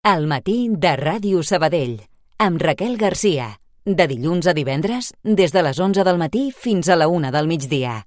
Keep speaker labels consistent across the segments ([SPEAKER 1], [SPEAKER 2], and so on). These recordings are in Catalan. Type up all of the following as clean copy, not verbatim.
[SPEAKER 1] Al matí de Ràdio Sabadell, amb Raquel Garcia. De dilluns a divendres, des de les 11 del matí fins a la 1 del migdia.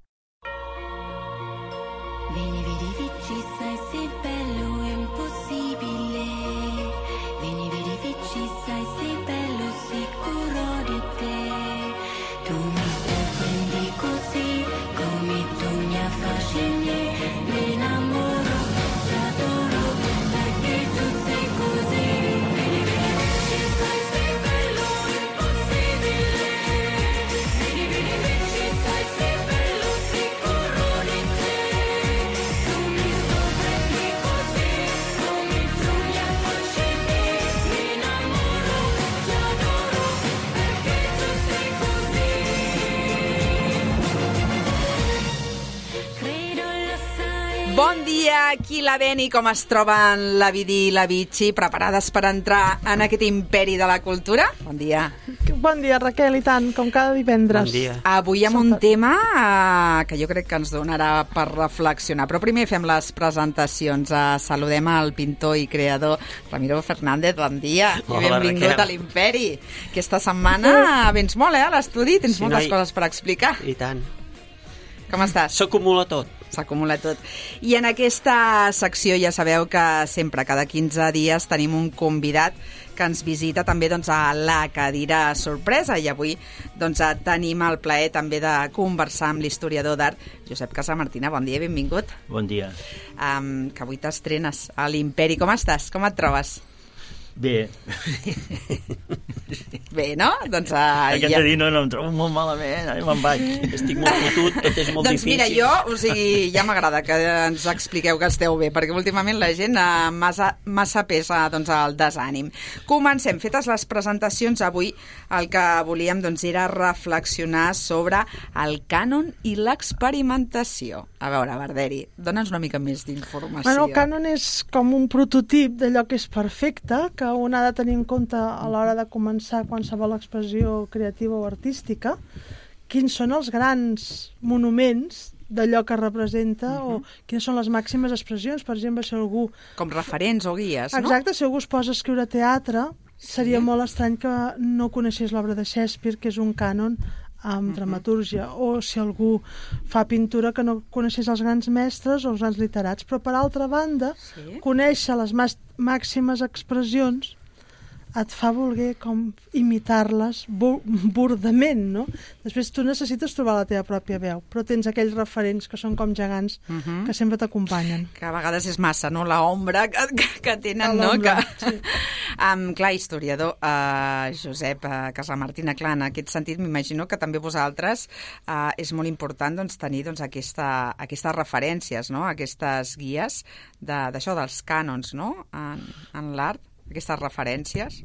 [SPEAKER 2] Bon dia, aquí la Beni, com es troben la Vidi i la Vichy, preparades per entrar en aquest imperi de la cultura? Bon dia.
[SPEAKER 3] Bon dia, Raquel, i tant, com cada divendres.
[SPEAKER 4] Bon dia.
[SPEAKER 2] Avui amb un tema que jo crec que ens donarà per reflexionar, però primer fem les presentacions. Saludem al pintor i creador Ramiro Fernández, bon dia.
[SPEAKER 4] Hola,
[SPEAKER 2] I benvingut
[SPEAKER 4] Raquel.
[SPEAKER 2] a l'Imperi. Aquesta setmana vens molt, a l'estudi, tens
[SPEAKER 4] Sí,
[SPEAKER 2] moltes
[SPEAKER 4] noi.
[SPEAKER 2] coses per explicar.
[SPEAKER 4] I tant.
[SPEAKER 2] Com estàs?
[SPEAKER 4] S'acumula tot.
[SPEAKER 2] S'acumula tot. I en aquesta secció ja sabeu que sempre, cada 15 dies, tenim un convidat que ens visita també doncs, a la cadira sorpresa, i avui doncs, tenim el plaer també de conversar amb l'historiador d'art Josep Casamartina. Bon dia, benvingut.
[SPEAKER 5] Bon dia.
[SPEAKER 2] Que avui t'estrenes a l'Imperi. Com estàs? Com et trobes?
[SPEAKER 5] Bé.
[SPEAKER 2] Bé, no? Doncs
[SPEAKER 5] Aquest dir no em trobo molt malament, ara me'n vaig.
[SPEAKER 4] Estic molt fotut, tot és molt
[SPEAKER 2] doncs
[SPEAKER 4] difícil.
[SPEAKER 2] mira, jo, ja m'agrada que ens expliqueu que esteu bé, perquè últimament la gent massa pesa doncs, el desànim. Comencem. Fetes les presentacions, avui el que volíem doncs, era reflexionar sobre el cànon i l'experimentació. A veure, Barderi, dona'ns una mica més d'informació.
[SPEAKER 3] Bueno, el cànon és com un prototip d'allò que és perfecte, que un ha de tenir en compte a l'hora de començar qualsevol expressió creativa o artística, quins són els grans monuments d'allò que representa o quines són les màximes expressions. Per exemple, si algú...
[SPEAKER 2] Com referents o guies, no?
[SPEAKER 3] Exacte, si algú es posa a escriure teatre, seria molt estrany que no coneixés l'obra de Shakespeare, que és un cànon amb dramatúrgia, o si algú fa pintura que no coneixés els grans mestres o els grans literats. Però, per altra banda, conèixer les màximes expressions et fa voler com imitar-les burdament, no? Després tu necessites trobar la teva pròpia veu, però tens aquells referents que són com gegants que sempre t'acompanyen.
[SPEAKER 2] Que a vegades és massa, no?, l'ombra que tenen, no?
[SPEAKER 3] Sí.
[SPEAKER 2] Clar, historiador, Josep Casamartina, clar, en aquest sentit m'imagino que també vosaltres és molt important doncs, tenir doncs, aquestes referències, no?, aquestes guies d'això, dels cànons, no?, en l'art, aquestes referències.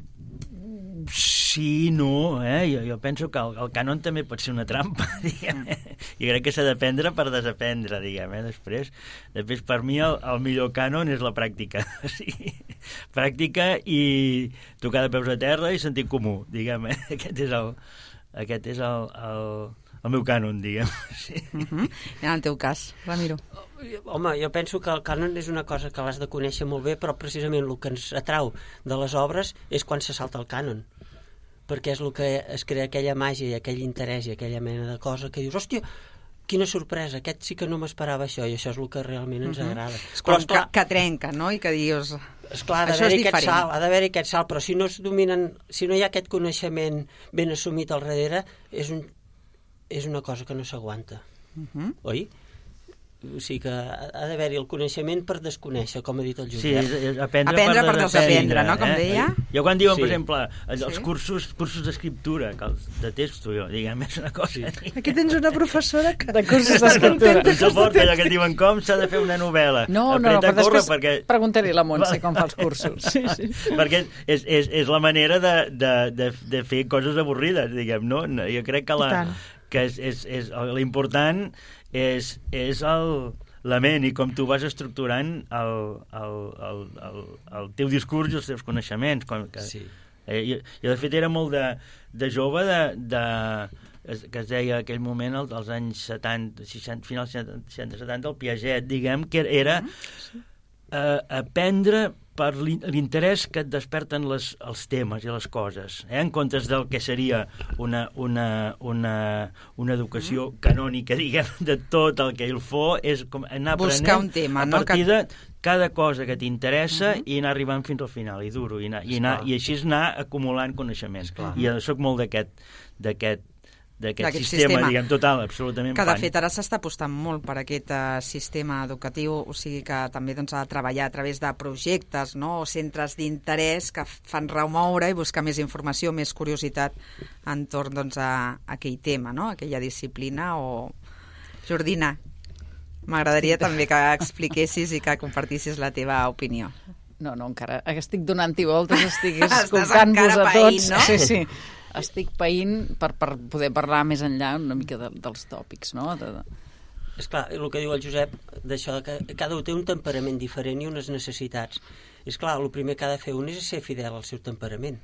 [SPEAKER 5] Sí, no, jo penso que el cànon també pot ser una trampa, diguem. Jo crec que s'ha d'aprendre per desaprendre, diguem, Després, per mi, el millor cànon és la pràctica. Sí. Pràctica i tocar de peus a terra i sentit comú, diguem. Aquest és el meu cànon, diguem. Sí.
[SPEAKER 2] En el teu cas, Ramiro.
[SPEAKER 4] Home, jo penso que el cànon és una cosa que l'has de conèixer molt bé, però precisament el que ens atrau de les obres és quan se salta el cànon, perquè és el que es crea aquella màgia i aquell interès i aquella mena de cosa que dius, hòstia, quina sorpresa, aquest sí que no m'esperava això, i això és el que realment ens agrada.
[SPEAKER 2] Però que trenca, no?, i que dius...
[SPEAKER 4] Esclar, ha d'haver-hi aquest salt, però si no es dominen, si no hi ha aquest coneixement ben assumit al darrere, és una cosa que no s'aguanta. Oi? O sigui que ha d'haver-hi el coneixement per desconèixer, com ha dit el Josep.
[SPEAKER 5] Sí, és aprendre
[SPEAKER 2] per desaprendre, no?, com deia.
[SPEAKER 5] Jo quan diuen, per exemple, els cursos d'escriptura, que els detesto jo, diguem, és una cosa...
[SPEAKER 3] Aquí tens una professora que...
[SPEAKER 6] De cursos d'escriptura.
[SPEAKER 5] No suporta allò que diuen com s'ha de fer una novel·la.
[SPEAKER 6] No, però després preguntaré a la Montse com fa els cursos.
[SPEAKER 3] Sí.
[SPEAKER 5] Perquè és la manera de fer coses avorrides, diguem, no? Jo crec que l'important és la ment i com tu vas estructurant el teu discurs i els teus coneixements.
[SPEAKER 4] Sí.
[SPEAKER 5] Jo, de fet, era molt de jove que es deia aquell moment, als anys 70, 60, finals 60-70, el Piaget, diguem, que era aprendre per l'interès que et desperten els temes i les coses, en comptes del que seria una educació canònica, diguem, de tot el que il fo, és com anar
[SPEAKER 2] buscar
[SPEAKER 5] aprenent
[SPEAKER 2] un tema,
[SPEAKER 5] a partir de cada cosa que t'interessa i anar arribant fins al final, i dur-ho, i així anar acumulant coneixement. I jo soc molt d'aquest sistema, diguem, total, absolutament
[SPEAKER 2] que de fet ara s'està apostant molt per aquest sistema educatiu, o sigui que també doncs, ha de treballar a través de projectes, no? O centres d'interès que fan remoure i buscar més informació, més curiositat entorn doncs, a aquell tema, no? Aquella disciplina. Jordina, m'agradaria també que expliquessis i que compartissis la teva opinió.
[SPEAKER 6] No, encara estic donant-hi voltes, estic escoltant-vos a tots.
[SPEAKER 2] No?
[SPEAKER 6] Sí. Estic païnt per poder parlar més enllà una mica dels tòpics, no?
[SPEAKER 4] Esclar, el que diu el Josep, d'això que cada un té un temperament diferent i unes necessitats. Esclar, el primer que ha de fer un és ser fidel al seu temperament,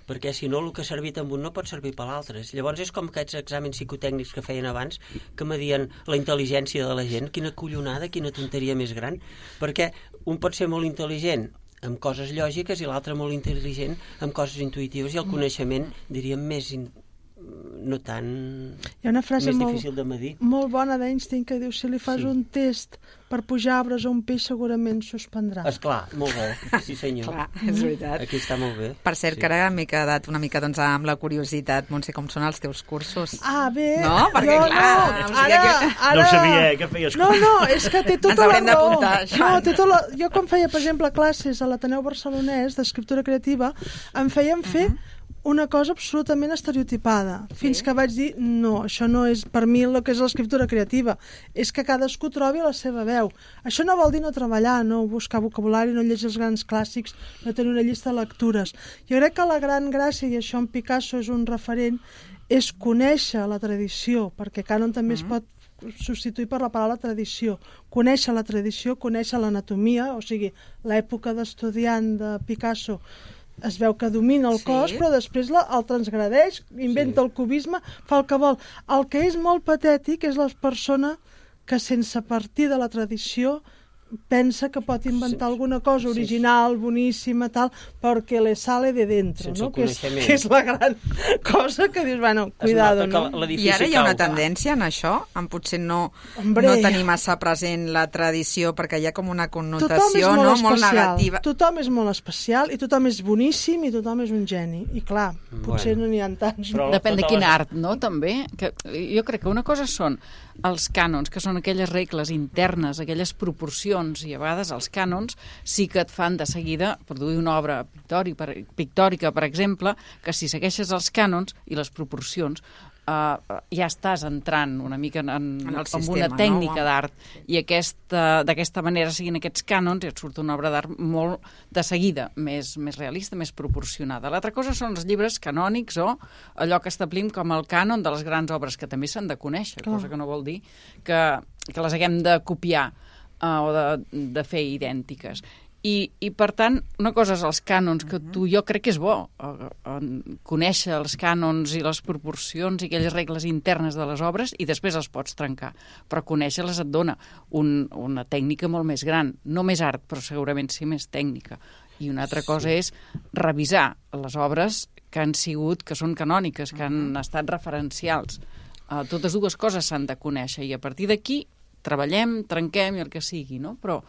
[SPEAKER 4] perquè si no el que ha servit amb un no pot servir per l'altre. Llavors és com aquests exàmens psicotècnics que feien abans, que medien la intel·ligència de la gent. Quina collonada, quina tonteria més gran, perquè un pot ser molt intel·ligent amb coses lògiques i l'altre molt intel·ligent amb coses intuïtives, i el coneixement, diríem, més no tan...
[SPEAKER 3] Hi ha una frase
[SPEAKER 4] més difícil de medir.
[SPEAKER 3] Molt bona d'Einstein que diu: si li fas un test per pujar arbres a un peix segurament suspendrà.
[SPEAKER 4] Esclar, molt bé, sí senyor.
[SPEAKER 2] Clar, és veritat.
[SPEAKER 4] Aquí està molt bé.
[SPEAKER 2] Per cert, que ara m'he quedat una mica doncs, amb la curiositat. Montse, com són els teus cursos?
[SPEAKER 3] Bé.
[SPEAKER 2] No? Perquè clar...
[SPEAKER 3] Ara...
[SPEAKER 5] No ho sabia, que feies cursos.
[SPEAKER 3] No, és que té tota
[SPEAKER 2] Ens haurem
[SPEAKER 3] la raó.
[SPEAKER 2] d'apuntar, això.
[SPEAKER 3] Jo quan feia, per exemple, classes a l'Ateneu Barcelonès d'escriptura creativa, em feien fer una cosa absolutament estereotipada, fins que vaig dir, no, això no és per mi el que és l'escriptura creativa, és que cadascú trobi la seva veu. Això no vol dir no treballar, no buscar vocabulari, no llegir els grans clàssics, no tenir una llista de lectures. Jo crec que la gran gràcia, i això en Picasso és un referent, és conèixer la tradició, perquè cànon també es pot substituir per la paraula tradició. Conèixer la tradició, conèixer l'anatomia, o sigui, l'època d'estudiant de Picasso es veu que domina el cos, però després el transgradeix, inventa el cubisme, fa el que vol. El que és molt patètic és la persona que sense partir de la tradició pensa que pot inventar alguna cosa original, boníssima, tal, perquè le sale de dentro, no? Que és la gran cosa que dius, bueno, cuidado, no?
[SPEAKER 2] I ara hi ha una tendència en això, en potser no tenir massa present la tradició, perquè hi ha com una connotació molt negativa.
[SPEAKER 3] Tothom és molt especial, i tothom és boníssim, i tothom és un geni. I clar, potser no n'hi ha tants.
[SPEAKER 6] Depèn de quin art, no?, també. Jo crec que una cosa són els cànons, que són aquelles regles internes, aquelles proporcions, i a vegades els cànons sí que et fan de seguida produir una obra pictòrica, per exemple, que si segueixes els cànons i les proporcions ja estàs entrant una mica en una tècnica d'art, i d'aquesta manera, siguin aquests cànons, i et surt una obra d'art molt de seguida, més realista, més proporcionada. L'altra cosa són els llibres canònics, o allò que establim com el cànon de les grans obres, que també s'han de conèixer, cosa que no vol dir que les haguem de copiar o de fer idèntiques. I per tant, una cosa és els cànons, que jo crec que és bo conèixer els cànons i les proporcions i aquelles regles internes de les obres, i després els pots trencar, però conèixer-les et dona una tècnica molt més gran, no més art, però segurament sí més tècnica. I una altra cosa és revisar les obres que són canòniques, que han estat referencials. Totes dues coses s'han de conèixer, i a partir d'aquí treballem, trenquem i el que sigui, no? Però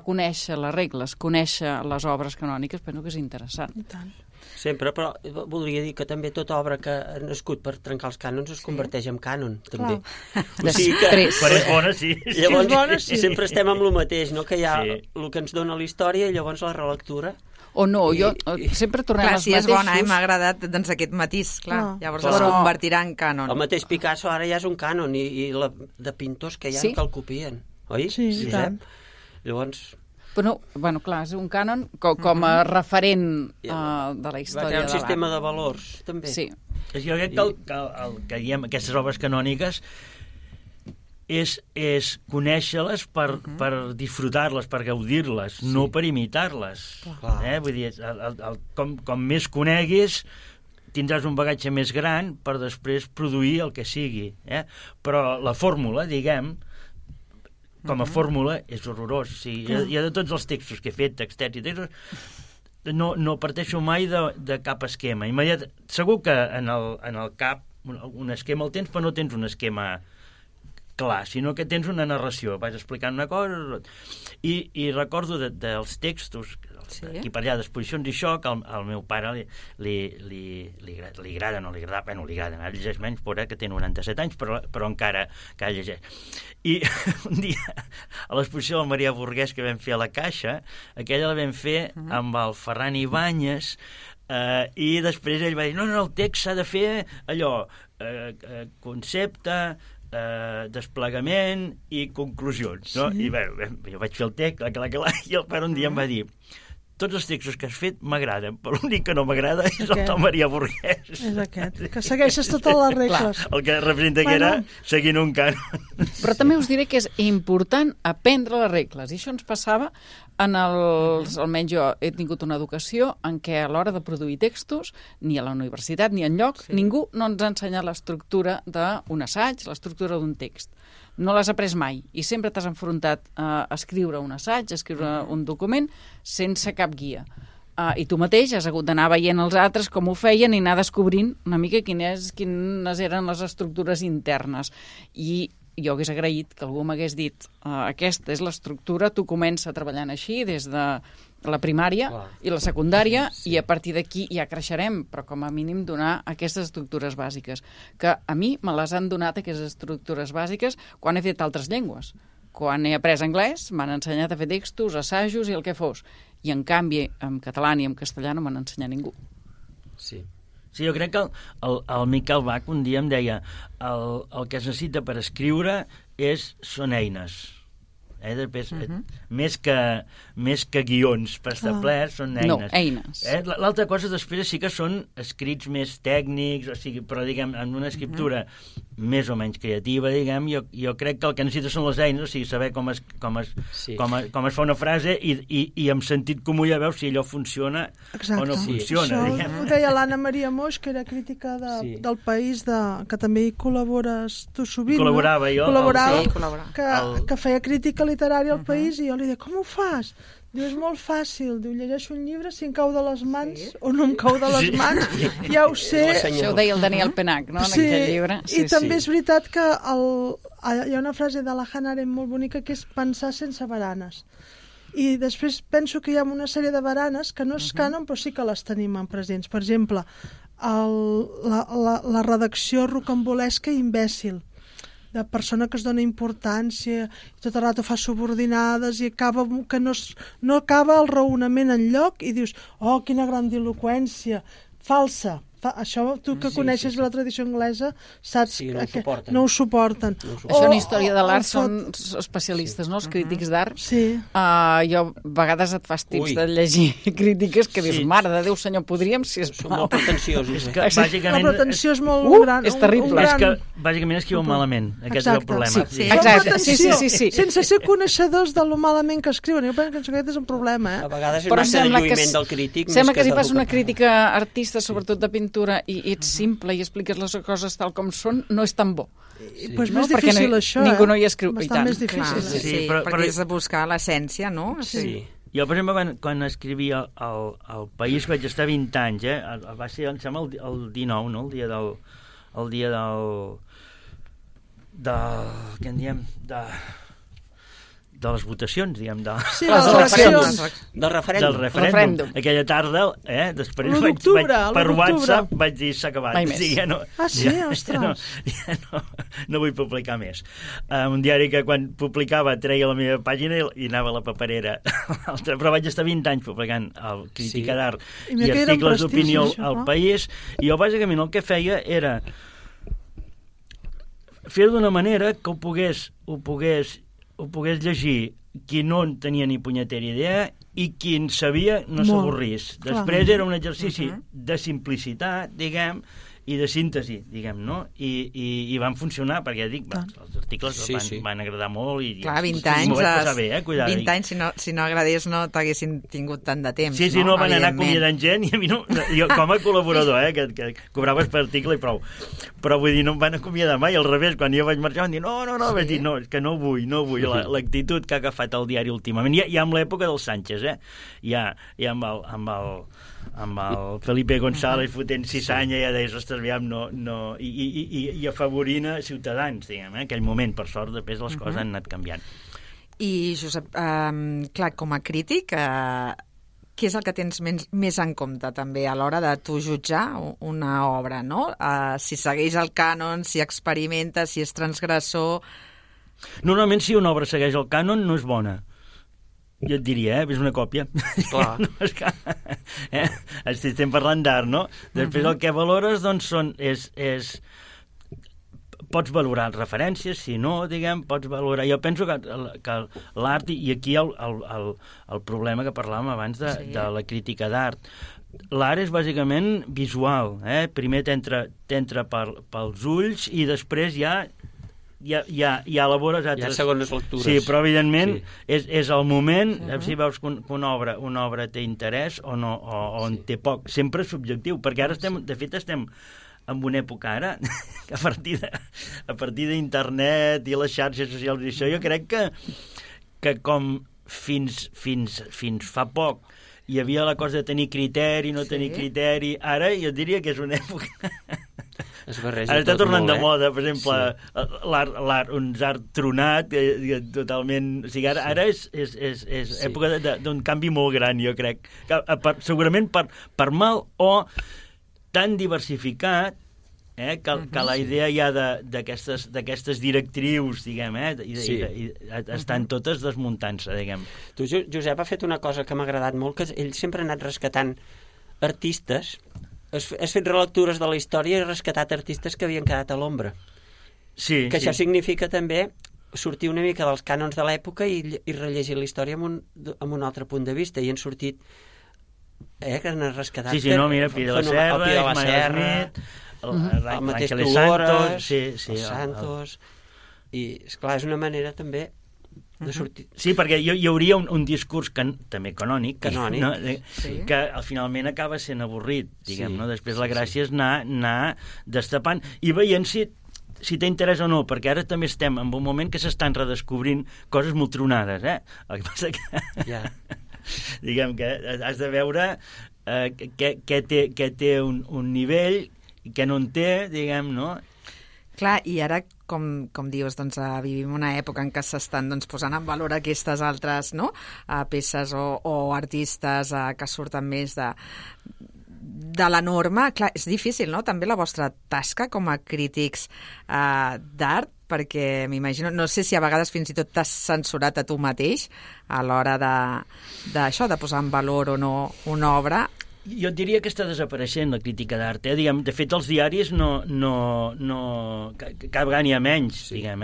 [SPEAKER 6] conèixer les regles, conèixer les obres canòniques, penso que és interessant.
[SPEAKER 3] I tant.
[SPEAKER 4] Sempre, però voldria dir que també tota obra que ha nascut per trencar els cànons es converteix en cànon, també.
[SPEAKER 6] O sigui que...
[SPEAKER 5] Quan és bona, sí.
[SPEAKER 4] Llavors, sempre estem amb el mateix, no? Que hi ha el que ens dona la història i llavors la relectura.
[SPEAKER 6] O no, jo sempre tornem als mateixos...
[SPEAKER 2] Clar, si és bona, m'ha agradat doncs, aquest matís, clar. Llavors es convertirà en cànon.
[SPEAKER 4] El mateix Picasso ara ja és un cànon, i de pintors que hi ha que el copien, oi?
[SPEAKER 3] Sí, i tant.
[SPEAKER 4] Llavors...
[SPEAKER 6] Bueno, clar, és un cànon com a referent de la història de l'art.
[SPEAKER 4] Un sistema de valors, també.
[SPEAKER 6] Sí.
[SPEAKER 5] Jo crec que diguem, aquestes obres canòniques és conèixer-les per disfrutar-les, per gaudir-les, no per imitar-les. Vull dir, com més coneguis, tindràs un bagatge més gran per després produir el que sigui. Però la fórmula, diguem, com a fórmula és horrorós. O sigui, jo de tots els textos que he fet, textets i textos, no parteixo mai de cap esquema. Segur que en el cap un esquema el tens, però no tens un esquema clar, sinó que tens una narració, vas explicant una cosa i recordo dels textos aquí per allà d'exposicions i això, que al meu pare li agrada, no li agrada, bueno, li agrada, ara llegeix menys, però que té 97 anys, però encara llegeix. I un dia, a l'exposició del Maria Burguès que vam fer a la Caixa, aquella la vam fer amb el Ferran Ibáñez, i després ell va dir, no, el text s'ha de fer allò, concepte, desplegament i conclusions, no? I bé, jo vaig fer el text, i el pare un dia em va dir, tots els textos que has fet m'agraden, però l'únic que no m'agrada és el del Maria Burguès.
[SPEAKER 3] És aquest, que segueixes totes les regles.
[SPEAKER 5] El que representa que era seguint un cànon.
[SPEAKER 6] Però també us diré que és important aprendre les regles, i això ens passava almenys jo he tingut una educació en què a l'hora de produir textos, ni a la universitat ni enlloc, ningú no ens ha ensenyat l'estructura d'un assaig, l'estructura d'un text. No l'has après mai i sempre t'has enfrontat a escriure un assaig, a escriure un document sense cap guia. I tu mateix has hagut d'anar veient els altres com ho feien i anar descobrint una mica quines eren les estructures internes. I jo hagués agraït que algú m'hagués dit aquesta és l'estructura, tu comença treballant així des de la primària i la secundària i a partir d'aquí ja creixerem, però com a mínim donar aquestes estructures bàsiques, que a mi me les han donat aquestes estructures bàsiques quan he fet altres llengües. Quan he après anglès m'han ensenyat a fer textos, assajos i el que fos, i en canvi en català ni en castellà no m'han ensenyat ningú.
[SPEAKER 5] Sí, jo crec que el Miquel Bach un dia em deia el que es necessita per escriure són eines. Després, més que guions preestablerts, són eines.
[SPEAKER 6] No, eines.
[SPEAKER 5] L'altra cosa després sí que són escrits més tècnics, o sigui, però diguem, en una escriptura més o menys creativa, diguem, jo crec que el que necessita són les eines, o sigui, saber com es fa una frase i amb sentit comú ja veus si allò funciona o no funciona.
[SPEAKER 3] Això ho deia l'Anna Maria Moix, que era crítica del País, que també hi col·labores tu sovint.
[SPEAKER 5] Col·laborava jo.
[SPEAKER 3] Que feia crítica literària al País i jo li deia, com ho fas? Diu, és molt fàcil. Diu, llegeixo un llibre, si em cau de les mans o no em cau de les mans, ja ho sé.
[SPEAKER 6] Això ho deia el Daniel Penach, no?, en aquell llibre.
[SPEAKER 3] I també és veritat que hi ha una frase de la Hannah Arendt molt bonica que és pensar sense baranes. I després penso que hi ha una sèrie de baranes que no és cànon, però sí que les tenim en presents. Per exemple, la redacció rocambolesca i imbècil, de persona que es dona importància i tot el rato fa subordinades i acaba que no acaba el raonament enlloc i dius, oh, quina grandiloqüència, falsa. Això, tu que coneixes la tradició anglesa, saps que no ho suporten.
[SPEAKER 6] Això en història de l'art són especialistes, no? Els crítics d'art. Jo, a vegades et fas tips de llegir crítiques que dius, mare de Déu, senyor, podríem, sisplau.
[SPEAKER 4] Són molt pretensiosos.
[SPEAKER 3] La pretensió és molt gran.
[SPEAKER 6] És terrible.
[SPEAKER 5] És que bàsicament escriuen malament. Aquest és el problema.
[SPEAKER 6] Exacte, sí.
[SPEAKER 3] Sense ser coneixedors de lo malament que escriuen. Jo penso que aquest és un problema.
[SPEAKER 4] A vegades és massa de lluïment del crític.
[SPEAKER 6] Sembla que si fas una crítica artista, sobretot de pintura, i ets simple i expliques les coses tal com són, no és tan bo.
[SPEAKER 3] Pues més difícil això,
[SPEAKER 6] ningú no hi escriu.
[SPEAKER 3] Bastant més difícil.
[SPEAKER 2] Sí, perquè és de buscar l'essència, no?
[SPEAKER 4] Sí.
[SPEAKER 5] Jo, per exemple, quan escrivia al País vaig estar 20 anys, va ser, em sembla, el 19, no? El dia què en diem? De les votacions, diguem,
[SPEAKER 3] de les eleccions.
[SPEAKER 4] Del
[SPEAKER 5] referèndum. Aquella tarda, després per WhatsApp vaig dir s'ha acabat.
[SPEAKER 6] Mai més.
[SPEAKER 3] Ostres.
[SPEAKER 5] No vull publicar més. Un diari que quan publicava treia la meva pàgina i anava a la paperera. Però vaig estar 20 anys publicant el Crítica d'Art i articles d'opinió al País, i jo bàsicament el que feia era fer-ho d'una manera que ho pogués llegir qui no en tenia ni punyetera idea i qui en sabia no s'avorrís. Després era un exercici de simplicitat, diguem, i de síntesi, diguem, no? I van funcionar, perquè ja dic, els articles van agradar molt i
[SPEAKER 2] clar, 20 anys,
[SPEAKER 5] m'ho vaig passar bé, cuidado.
[SPEAKER 2] 20 anys, si no agradés no t'haguessin tingut tant de temps.
[SPEAKER 5] Sí, no, van anar acomiadant gent i a mi no, jo com a col·laborador, que cobraves per article i prou, però vull dir, no em van acomiadar mai, al revés, quan jo vaig marxar van dir, no, vaig dir, no, és que no vull l'actitud que ha agafat el diari últimament, ja amb l'època dels Sánchez, ja amb el Felipe González fotent ciçanya, ja deies, ostres, aviam, i afavorint a Ciutadans, diguem, aquell moment, per sort, després les coses han anat canviant.
[SPEAKER 2] I, Josep, clar, com a crític, què és el que tens més en compte, també, a l'hora de tu jutjar una obra, no? Si segueix el cànon, si experimenta, si és transgressor...
[SPEAKER 5] Normalment, si una obra segueix el cànon, no és bona. Jo et diria, és una còpia.
[SPEAKER 4] Clar.
[SPEAKER 5] No, és que, estem parlant d'art, no? Després el que valores, doncs, pots valorar referències, si no, diguem, pots valorar... Jo penso que l'art, i aquí el problema que parlàvem abans de la crítica d'art, l'art és bàsicament visual, primer t'entra pels ulls i després ja elabores altres...
[SPEAKER 4] Hi ha segones lectures.
[SPEAKER 5] Sí, però evidentment és el moment, si veus que una obra té interès o no, o en té poc. Sempre és subjectiu, perquè ara de fet estem en una època ara, que a partir d'internet i les xarxes socials i això, jo crec que com fins fa poc hi havia la cosa de tenir criteri, no tenir criteri, ara jo diria que és una època... Ara està tornant de moda, per exemple, l'art, un art tronat, totalment... O sigui, ara és època d'un canvi molt gran, jo crec. Segurament per mal o tan diversificat que la idea ja d'aquestes directrius, diguem, estan totes desmuntant-se, diguem.
[SPEAKER 4] Tu, Josep, ha fet una cosa que m'ha agradat molt, que ell sempre ha anat rescatant artistes, has fet relectures de la història i has rescatat artistes que havien quedat a l'ombra.
[SPEAKER 5] Sí,
[SPEAKER 4] que això significa també sortir una mica dels cànons de l'època i rellegir la història amb un altre punt de vista, i han sortit que han rescatat...
[SPEAKER 5] Sí, no, mira, Pi de la Serra, Ismael Smith,
[SPEAKER 4] el mateix Tugores, els Santos... I, esclar, és una manera també de sortir...
[SPEAKER 5] Sí, perquè hi hauria un discurs també canònic, no? Que finalment acaba sent avorrit, diguem, no? Després la gràcia és anar destapant i veient si té interès o no, perquè ara també estem en un moment que s'estan redescobrint coses molt tronades, El que passa que... diguem que has de veure què té un nivell i què no en té, diguem, no?
[SPEAKER 2] Clar, i ara, com dius, doncs, vivim una època en què s'estan posant en valor aquestes altres peces o artistes que surten més de la norma. Clar, és difícil, no?, també la vostra tasca com a crítics d'art, perquè m'imagino, no sé si a vegades fins i tot t'has censurat a tu mateix a l'hora d'això, de posar en valor o no una obra.
[SPEAKER 5] Jo diria que està desapareixent la crítica d'art. Diguem, de fet, els diaris cada vegada n'hi ha menys, diguem,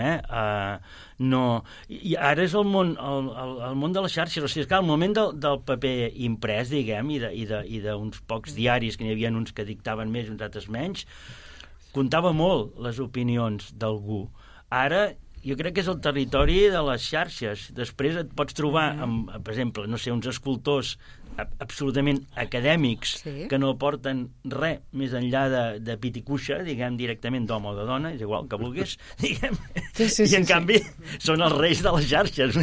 [SPEAKER 5] no. I ara és el món de les xarxes. O sigui, és que al moment del paper imprès, diguem, i d'uns pocs diaris, que n'hi havia uns que dictaven més i uns altres menys, comptava molt les opinions d'algú. Ara jo crec que és el territori de les xarxes. Després et pots trobar, per exemple, no sé, uns escultors absolutament acadèmics que no aporten res més enllà de pit i cuixa, diguem, directament d'home o de dona, és igual que vulguis, diguem, i en canvi són els reis de les xarxes.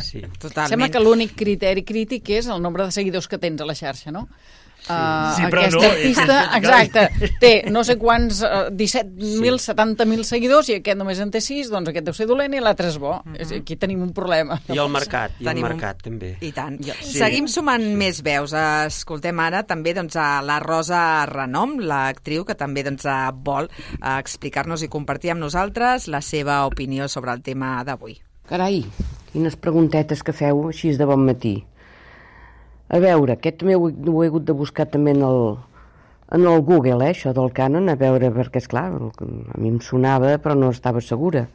[SPEAKER 6] Sí. Totalment. Sembla que l'únic criteri crític és el nombre de seguidors que tens a la xarxa, no?
[SPEAKER 5] Sí, però
[SPEAKER 6] aquest artista, exacte, té no sé quants 17.000, 70.000 seguidors i aquest només en té 6, doncs aquest deu ser dolent i l'altre és bo. Aquí tenim un problema.
[SPEAKER 4] I el mercat, també.
[SPEAKER 2] I tant. Seguim sumant més veus. Escoltem ara també a la Rosa Renom, l'actriu que també vol explicar-nos i compartir amb nosaltres la seva opinió sobre el tema d'avui.
[SPEAKER 7] Carai, quines preguntetes que feu així de bon matí. A veure, aquest també ho he hagut de buscar també en el Google, això del Canon, a veure, perquè, esclar, a mi em sonava, però no estava segura.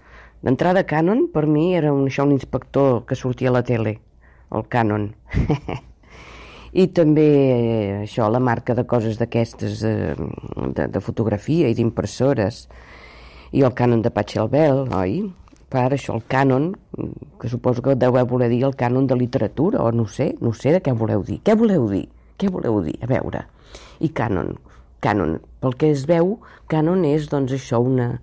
[SPEAKER 7] D'entrada, Canon, per mi, era un inspector que sortia a la tele, el Canon. I també això, la marca de coses d'aquestes de fotografia i d'impressores, i el cànon de Pachelbel, oi? Per això el cànon, que suposo que deu voler dir el cànon de literatura, o no sé de què voleu dir. Què voleu dir? A veure. I cànon, pel que es veu, cànon és, doncs, això, una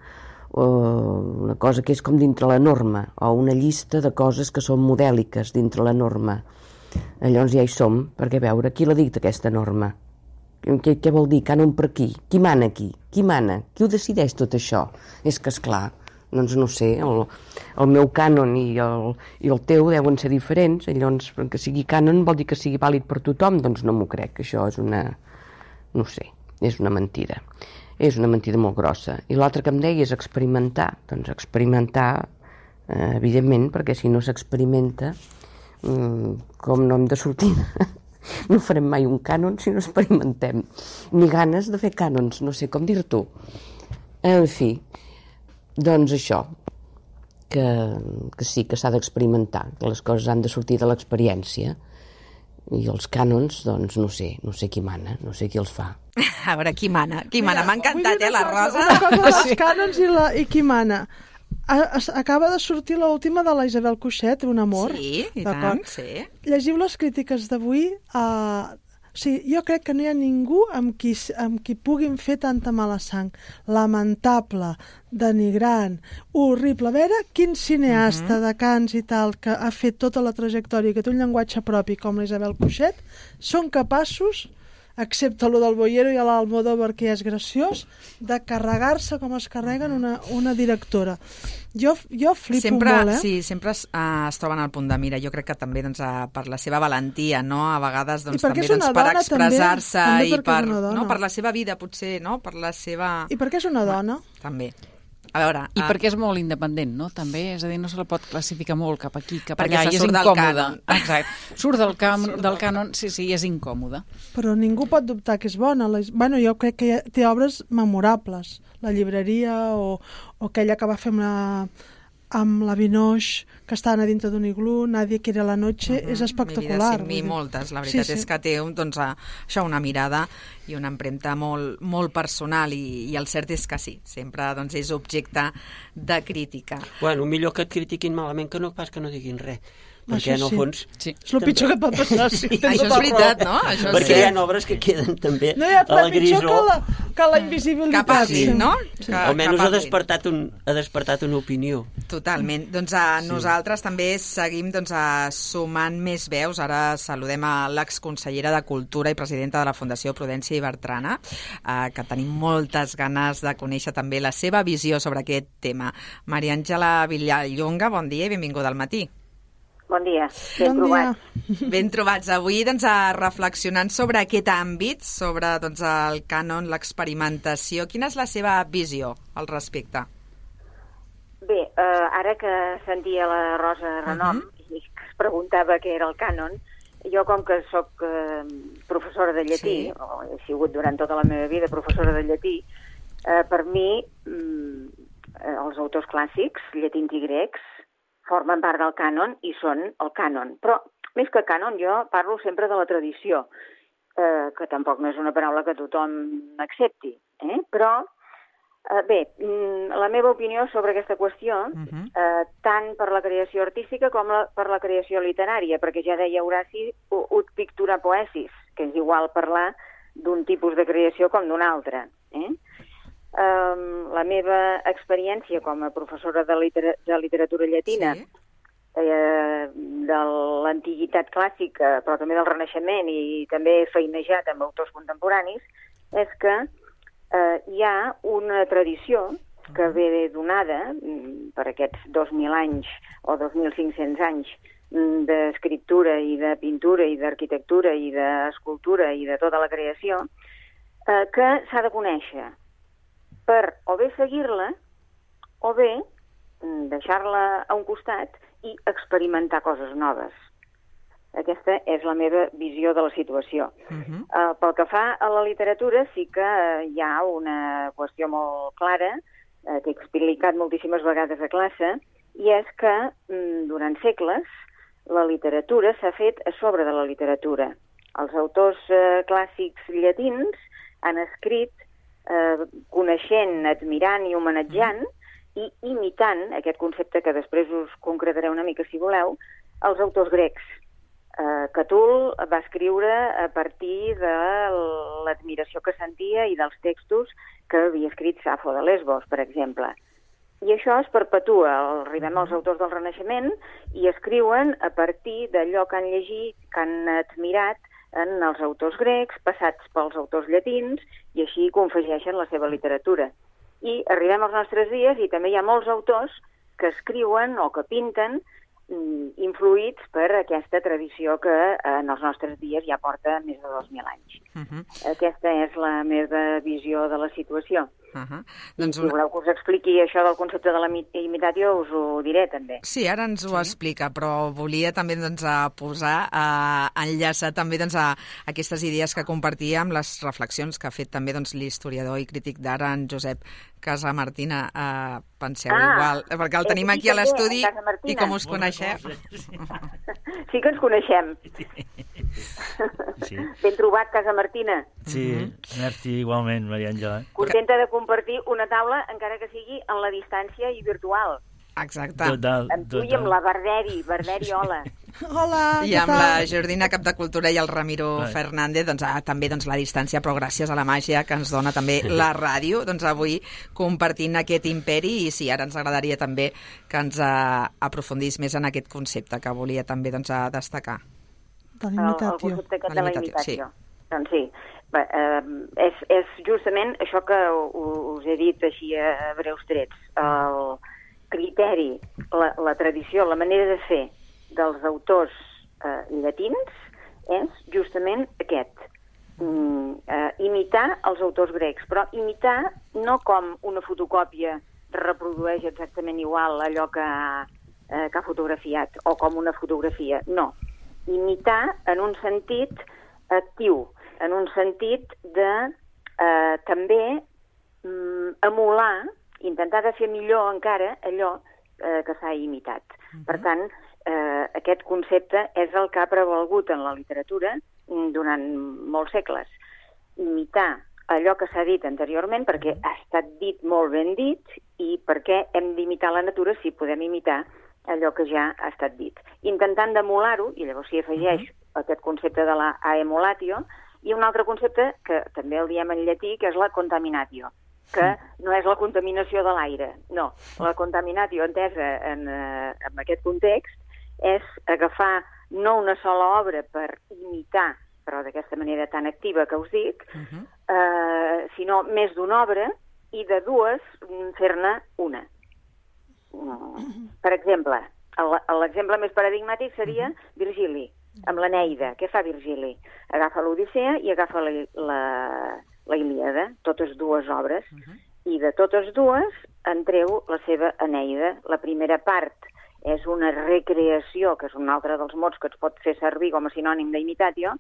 [SPEAKER 7] cosa que és com dintre la norma, o una llista de coses que són modèliques dintre la norma. Llavors ja hi som, perquè a veure, qui la dicta aquesta norma? Què vol dir? Cànon per qui? Qui mana aquí? Qui mana? Qui ho decideix tot això? És que, esclar, doncs no sé, el meu cànon i el teu deuen ser diferents, llavors que sigui cànon vol dir que sigui vàlid per tothom, doncs no m'ho crec, això és una... no sé, és una mentida. És una mentida molt grossa. I l'altre que em deia és experimentar. Doncs experimentar, evidentment, perquè si no s'experimenta, com no hem de sortir... No farem mai un cànon si no experimentem. Ni ganes de fer cànons, no sé com dir-t'ho. En fi, doncs això, que sí, que s'ha d'experimentar, que les coses han de sortir de l'experiència. I els cànons, doncs no sé qui mana, no sé qui els fa.
[SPEAKER 2] A veure, qui mana? M'ha encantat, la Rosa.
[SPEAKER 3] Una cosa dels cànons i qui mana. Acaba de sortir l'última de la Isabel Cuixet, Un amor.
[SPEAKER 2] Sí, i tant, sí.
[SPEAKER 3] Llegiu les crítiques d'avui. Jo crec que no hi ha ningú amb qui puguin fer tanta mala sang. Lamentable, denigrant, horrible. A veure quin cineasta de Cants i tal que ha fet tota la trajectòria, que té un llenguatge propi com la Isabel Cuixet, són capaços, excepte lo del Boyero i l'Almodóvar, que és graciós, de carregar-se com es carreguen una directora. Jo flipo molt,
[SPEAKER 2] Sí, sempre es troben al punt de mira. Jo crec que també per la seva valentia, no? A vegades també per expressar-se i per la seva vida, potser, no? Per la seva...
[SPEAKER 3] I perquè és una dona.
[SPEAKER 2] També. A veure...
[SPEAKER 6] I perquè és molt independent, no? També, és a dir, no se la pot classificar molt cap aquí, cap allà,
[SPEAKER 2] i
[SPEAKER 6] és incòmode. Exacte. Surt del cànon, sí, és incòmode.
[SPEAKER 3] Però ningú pot dubtar que és bona. Bueno, jo crec que té obres memorables. La llibreria o aquella que va fer amb la Vinoix, que estan a dintre d'un iglú, Nadie quiere la noche, és espectacular.
[SPEAKER 2] I moltes, la veritat és que té això, una mirada i una empremta molt, molt personal i el cert és que sí, sempre és objecte de crítica.
[SPEAKER 4] Bueno, millor que et critiquin malament que no pas que no diguin res. Perquè, en el fons...
[SPEAKER 3] Sí. És el pitjor que pot passar. Sí.
[SPEAKER 2] Això és veritat, no?
[SPEAKER 4] Perquè hi ha obres que queden també
[SPEAKER 3] no hi ha res pitjor que la invisibilitat.
[SPEAKER 2] Que passin, no?
[SPEAKER 4] Almenys ha despertat una opinió.
[SPEAKER 2] Totalment. Doncs nosaltres també seguim sumant més veus. Ara saludem a l'exconsellera de Cultura i presidenta de la Fundació Prudència i Bertrana, que tenim moltes ganes de conèixer també la seva visió sobre aquest tema. Maria Àngela Villallonga, bon dia i benvinguda al matí.
[SPEAKER 8] Bon dia, ben trobats.
[SPEAKER 2] Ben trobats. Avui reflexionant sobre aquest àmbit, sobre el cànon, l'experimentació. Quina és la seva visió al respecte?
[SPEAKER 8] Bé, ara que sentia la Rosa Renom i que es preguntava què era el cànon, jo com que soc professora de llatí, o he sigut durant tota la meva vida professora de llatí, per mi els autors clàssics, llatins i grecs, formen part del cànon i són el cànon. Però, més que cànon, jo parlo sempre de la tradició, que tampoc no és una paraula que tothom accepti. Però, bé, la meva opinió sobre aquesta qüestió, tant per la creació artística com per la creació literària, perquè ja deia Horaci, ut pictura poesis, que és igual parlar d'un tipus de creació com d'un altre. La meva experiència com a professora de literatura llatina, de l'antiguitat clàssica, però també del Renaixement, i també he feinejat amb autors contemporanis, és que hi ha una tradició que ve donada per aquests 2.000 anys o 2.500 anys d'escriptura i de pintura i d'arquitectura i d'escultura i de tota la creació, que s'ha de conèixer per o bé seguir-la o bé deixar-la a un costat i experimentar coses noves. Aquesta és la meva visió de la situació. Pel que fa a la literatura, sí que hi ha una qüestió molt clara, que he explicat moltíssimes vegades a classe, i és que, durant segles, la literatura s'ha fet a sobre de la literatura. Els autors clàssics llatins han escrit coneixent, admirant i homenatjant i imitant, aquest concepte que després us concretaré una mica si voleu, els autors grecs. Catul va escriure a partir de l'admiració que sentia i dels textos que havia escrit Safo de Lesbos, per exemple. I això es perpetua. Arribem als autors del Renaixement i escriuen a partir d'allò que han llegit, que han admirat en els autors grecs, passats pels autors llatins, i així confegeixen la seva literatura. I arribem als nostres dies i també hi ha molts autors que escriuen o que pinten influïts per aquesta tradició que en els nostres dies ja porta més de 2.000 anys. Aquesta és la meva visió de la situació.
[SPEAKER 2] Doncs
[SPEAKER 8] si voleu que us expliqui això del concepte de la imitatio, us ho diré també.
[SPEAKER 2] Sí, ara ens ho explica, però volia també posar, enllaçar també a aquestes idees que compartia amb les reflexions que ha fet també l'historiador i crític d'art, en Josep Casamartina. Penseu igual, perquè el tenim aquí a l'estudi i com us coneixeu.
[SPEAKER 8] Sí que ens coneixem.
[SPEAKER 5] Sí.
[SPEAKER 8] Ben trobat, Casamartina.
[SPEAKER 5] Sí, merci igualment, Maria Àngela.
[SPEAKER 8] Contenta de compartir una taula, encara que sigui en la distància i virtual.
[SPEAKER 2] Exacte.
[SPEAKER 5] Total.
[SPEAKER 8] Amb tu i amb la Barderi, hola.
[SPEAKER 3] Hola,
[SPEAKER 2] I amb la Jordina, cap de Cultura, i el Ramiro Fernández, també la distància, però gràcies a la màgia que ens dona també la ràdio, avui compartint aquest imperi. I sí, ara ens agradaria també que ens aprofundís més en aquest concepte que volia també destacar.
[SPEAKER 8] El concepte aquest de la imitació. Doncs sí, és justament això que us he dit així a breus trets. El criteri, la tradició, la manera de fer dels autors llatins és justament aquest. Imitar els autors grecs, però imitar no com una fotocòpia reprodueix exactament igual allò que ha fotografiat, o com una fotografia, no. Imitar en un sentit actiu, en un sentit de també emular, intentar de fer millor encara allò que s'ha imitat. Per tant, aquest concepte és el que ha prevalgut en la literatura durant molts segles. Imitar allò que s'ha dit anteriorment perquè ha estat dit molt ben dit i perquè hem d'imitar la natura si podem imitar allò que ja ha estat dit. Intentant d'emular-ho, i llavors s'hi afegeix aquest concepte de la emulatio, i un altre concepte que també el diem en llatí, que és la contaminatio, que no és la contaminació de l'aire, no. La contaminatio, entesa en aquest context, és agafar no una sola obra per imitar, però d'aquesta manera tan activa que us dic, sinó més d'una obra, i de dues fer-ne una. Per exemple, l'exemple més paradigmàtic seria Virgili, amb l'Eneida. Què fa Virgili? Agafa l'Odissea i agafa la Ilíada, totes dues obres, i de totes dues en treu la seva Eneida. La primera part és una recreació, que és un altre dels mots que es pot fer servir com a sinònim d'imitatio,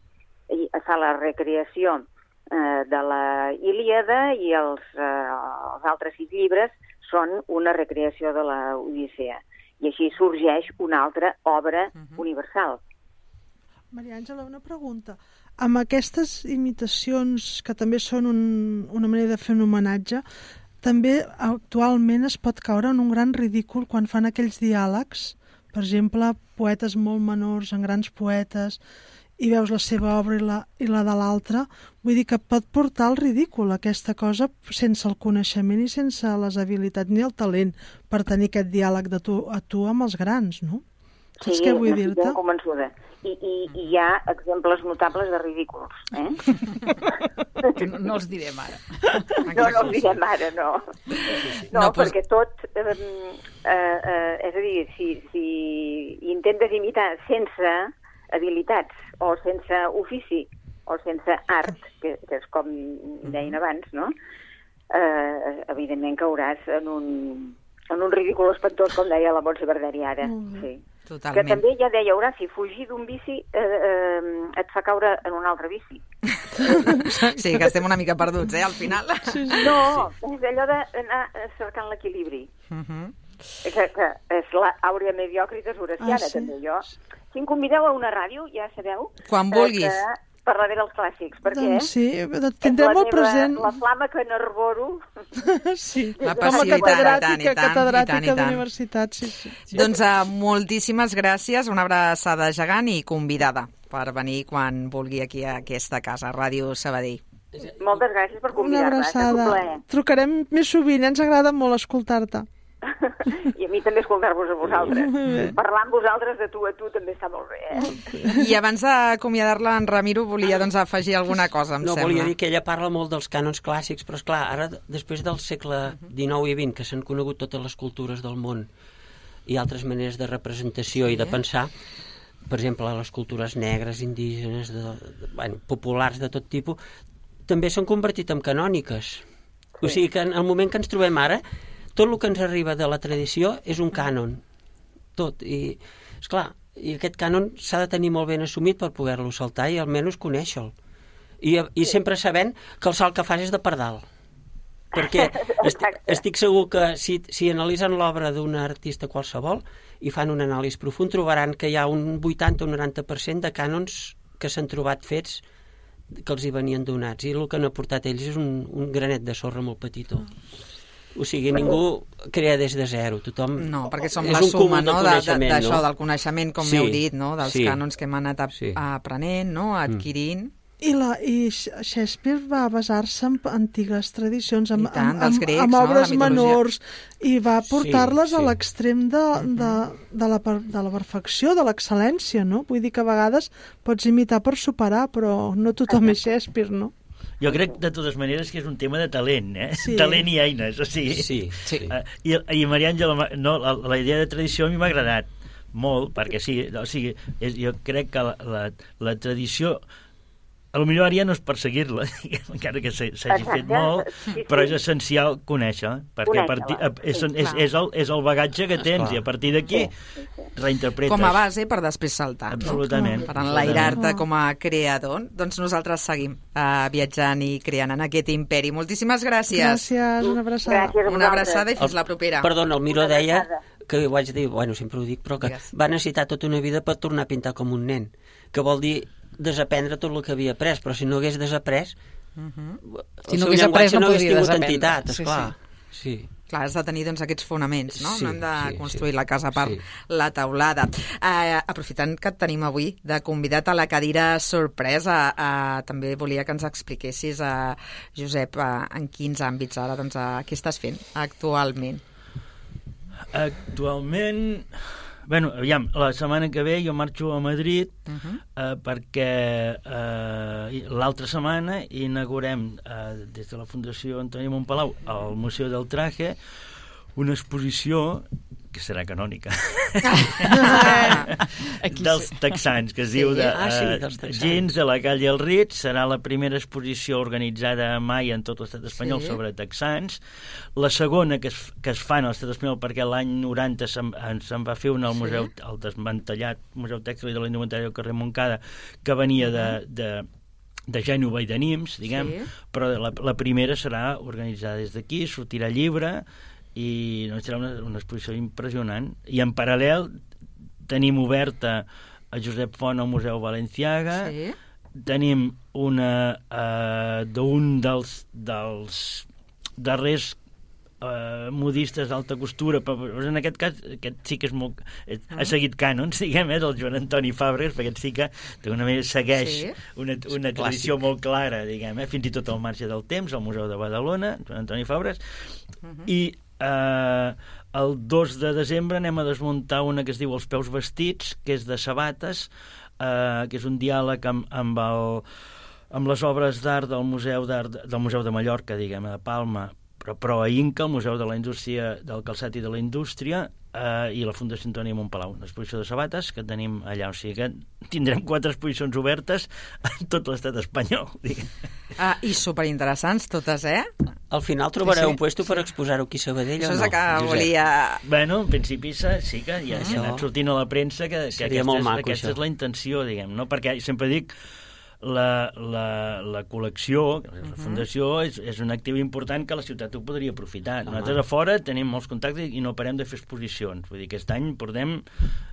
[SPEAKER 8] i fa la recreació de la Ilíada, i els altres 6 llibres són una recreació de la Odissea. I així sorgeix una altra obra universal.
[SPEAKER 3] Maria Àngela, una pregunta. Amb aquestes imitacions, que també són una manera de fer un homenatge, també actualment es pot caure en un gran ridícul quan fan aquells diàlegs, per exemple, poetes molt menors en grans poetes, i veus la seva obra i la de l'altra. Vull dir que pot portar al ridícul aquesta cosa sense el coneixement i sense les habilitats ni el talent per tenir aquest diàleg de tu a tu amb els grans, no? Saps què vull dir-te?
[SPEAKER 8] Sí, convençuda. I hi ha exemples notables de ridículs,
[SPEAKER 6] Que no els direm ara.
[SPEAKER 8] No els direm ara, no. No, perquè tot... és a dir, si intentes imitar sense habilitats, o sense ofici, o sense art, que és com deien abans, no? Evidentment cauràs en un ridícul espantós, com deia la Montse Barderi ara. Sí.
[SPEAKER 2] Totalment.
[SPEAKER 8] Que també ja deia Horaci, fugir d'un vici et fa caure en un altre vici.
[SPEAKER 2] Sí, que estem una mica perduts, al final.
[SPEAKER 8] No, és allò d'anar cercant l'equilibri. Que és l'àurea mediocritas horaciana, també. Jo, si em convideu a una ràdio, ja sabeu...
[SPEAKER 2] Quan vulguis.
[SPEAKER 8] Parlaré dels clàssics, perquè
[SPEAKER 3] Doncs sí, tindrem molt present.
[SPEAKER 8] La flama que n'arboro.
[SPEAKER 3] Sí,
[SPEAKER 2] La
[SPEAKER 3] com
[SPEAKER 2] passió,
[SPEAKER 3] a catedràtica,
[SPEAKER 2] i tant.
[SPEAKER 3] catedràtica d'universitat, sí.
[SPEAKER 2] Doncs moltíssimes gràcies, una abraçada gegant i convidada per venir quan vulgui aquí a aquesta casa, Ràdio Sabadell.
[SPEAKER 8] Moltes gràcies per
[SPEAKER 3] Una
[SPEAKER 8] convidar-me.
[SPEAKER 3] abraçada. Trucarem més sovint, ens agrada molt escoltar-te.
[SPEAKER 8] I a mi també escoltar-vos a vosaltres. Parlar amb vosaltres de tu a tu també està molt bé,
[SPEAKER 2] I abans d'acomiadar-la, en Ramiro volia afegir alguna cosa, em sembla.
[SPEAKER 4] Volia dir que ella parla molt dels cànons clàssics, però esclar, ara, després del segle XIX i XX, que s'han conegut totes les cultures del món i altres maneres de representació i de pensar, per exemple, les cultures negres, indígenes, populars de tot tipus, també s'han convertit en canòniques. O sigui que en el moment que ens trobem ara, tot el que ens arriba de la tradició és un cànon. Tot. I, esclar, i aquest cànon s'ha de tenir molt ben assumit per poder-lo saltar i almenys conèixer-lo. I sempre sabent que el salt que fas és de pardal. Perquè estic segur que si analitzen l'obra d'un artista qualsevol i fan un anàlisi profund, trobaran que hi ha un 80 o 90% de cànons que s'han trobat fets que els hi venien donats. I el que han aportat ells és un granet de sorra molt petitó. O sigui, ningú crea des de zero, tothom...
[SPEAKER 2] No, perquè som la suma, no?, d'això, del coneixement, com m'heu dit, no?, dels cànons que hem anat aprenent, no?, adquirint.
[SPEAKER 3] I Shakespeare va basar-se en antigues tradicions, amb
[SPEAKER 2] obres
[SPEAKER 3] obres menors, i va portar-les a l'extrem de la perfecció, de l'excel·lència, no? Vull dir que a vegades pots imitar per superar, però no tothom és Shakespeare, no?
[SPEAKER 5] Jo crec, de totes maneres, que és un tema de talent, Sí. Talent i eines, o sigui...
[SPEAKER 4] Sí.
[SPEAKER 5] I Maria Àngela, la idea de tradició a mi m'ha agradat molt, perquè sí, o sigui, jo crec que la tradició... Potser ara ja no és perseguir-la, encara que s'hagi fet molt, però és essencial conèixer, perquè és el bagatge que tens, i a partir d'aquí reinterpretes.
[SPEAKER 2] Com a base per després saltar.
[SPEAKER 5] Absolutament.
[SPEAKER 2] Per enlairar-te com a creador. Doncs nosaltres seguim viatjant i creant en aquest imperi. Moltíssimes gràcies.
[SPEAKER 3] Gràcies, una abraçada.
[SPEAKER 2] Una abraçada i fins la propera.
[SPEAKER 4] Perdona, el Miró deia, que ho haig de dir, sempre ho dic, però que va necessitar tota una vida per tornar a pintar com un nen, que vol dir desaprendre tot el que havia après, però si no hagués desaprès
[SPEAKER 6] si no hagués après no
[SPEAKER 4] hagués tingut
[SPEAKER 6] desaprendre.
[SPEAKER 4] entitat, esclar. Sí.
[SPEAKER 2] Clar, has de tenir aquests fonaments, no? No hem de construir la casa per la teulada. Aprofitant que et tenim avui de convidat a la cadira sorpresa, també volia que ens expliquessis, Josep, en quins àmbits ara, què estàs fent actualment?
[SPEAKER 5] Actualment... Bueno, aviam, la setmana que ve jo marxo a Madrid perquè l'altra setmana inaugurem des de la Fundació Antoni Montpalau al Museu del Traje una exposició que serà canònica dels texans, que es diu Gins de la calle El Rit. Serà la primera exposició organitzada mai en tot l'estat espanyol sobre texans, la segona que es fa en l'estat espanyol, perquè l'any 90 se'n va fer una al museu, el desmantellat Museu Tèxtil de la Indumentària del carrer Montcada, que venia de Gènova i de Nimes, diguem, però la primera serà organitzada des d'aquí, sortirà llibre, i serà una exposició impressionant. I en paral·lel tenim oberta a Josep Font al Museu Balenciaga, tenim una d'un dels darrers modistes d'alta costura, però en aquest cas aquest sí que és molt, ha seguit cànons, diguem, del Joan Antoni Fàbregas, perquè sí que d'una manera segueix una tradició molt clara, diguem, fins i tot al marge del temps, al Museu de Badalona, Joan Antoni Fàbregas, i el 2 de desembre anem a desmuntar una que es diu Els peus vestits, que és de sabates, que és un diàleg amb les obres d'art del Museu de Mallorca, diguem, de Palma, però a Inca, el Museu de la Indústria del Calçat i de la Indústria, i la Fundació Antoni Montpalau, una exposició de sabates que tenim allà, o sigui que tindrem 4 exposicions obertes en tot l'estat espanyol.
[SPEAKER 2] I superinteressants totes,
[SPEAKER 4] Al final trobareu un puesto per exposar-ho aquí a Sabadell,
[SPEAKER 2] o no? Això és el que volia...
[SPEAKER 5] Bueno, en principi sí que ja s'ha anat sortint a la premsa que aquesta és la intenció, diguem, no? Perquè sempre dic, la col·lecció, la fundació, és un actiu important que la ciutat ho podria aprofitar. Nosaltres a fora tenim molts contactes i no parem de fer exposicions. Vull dir, aquest any portem...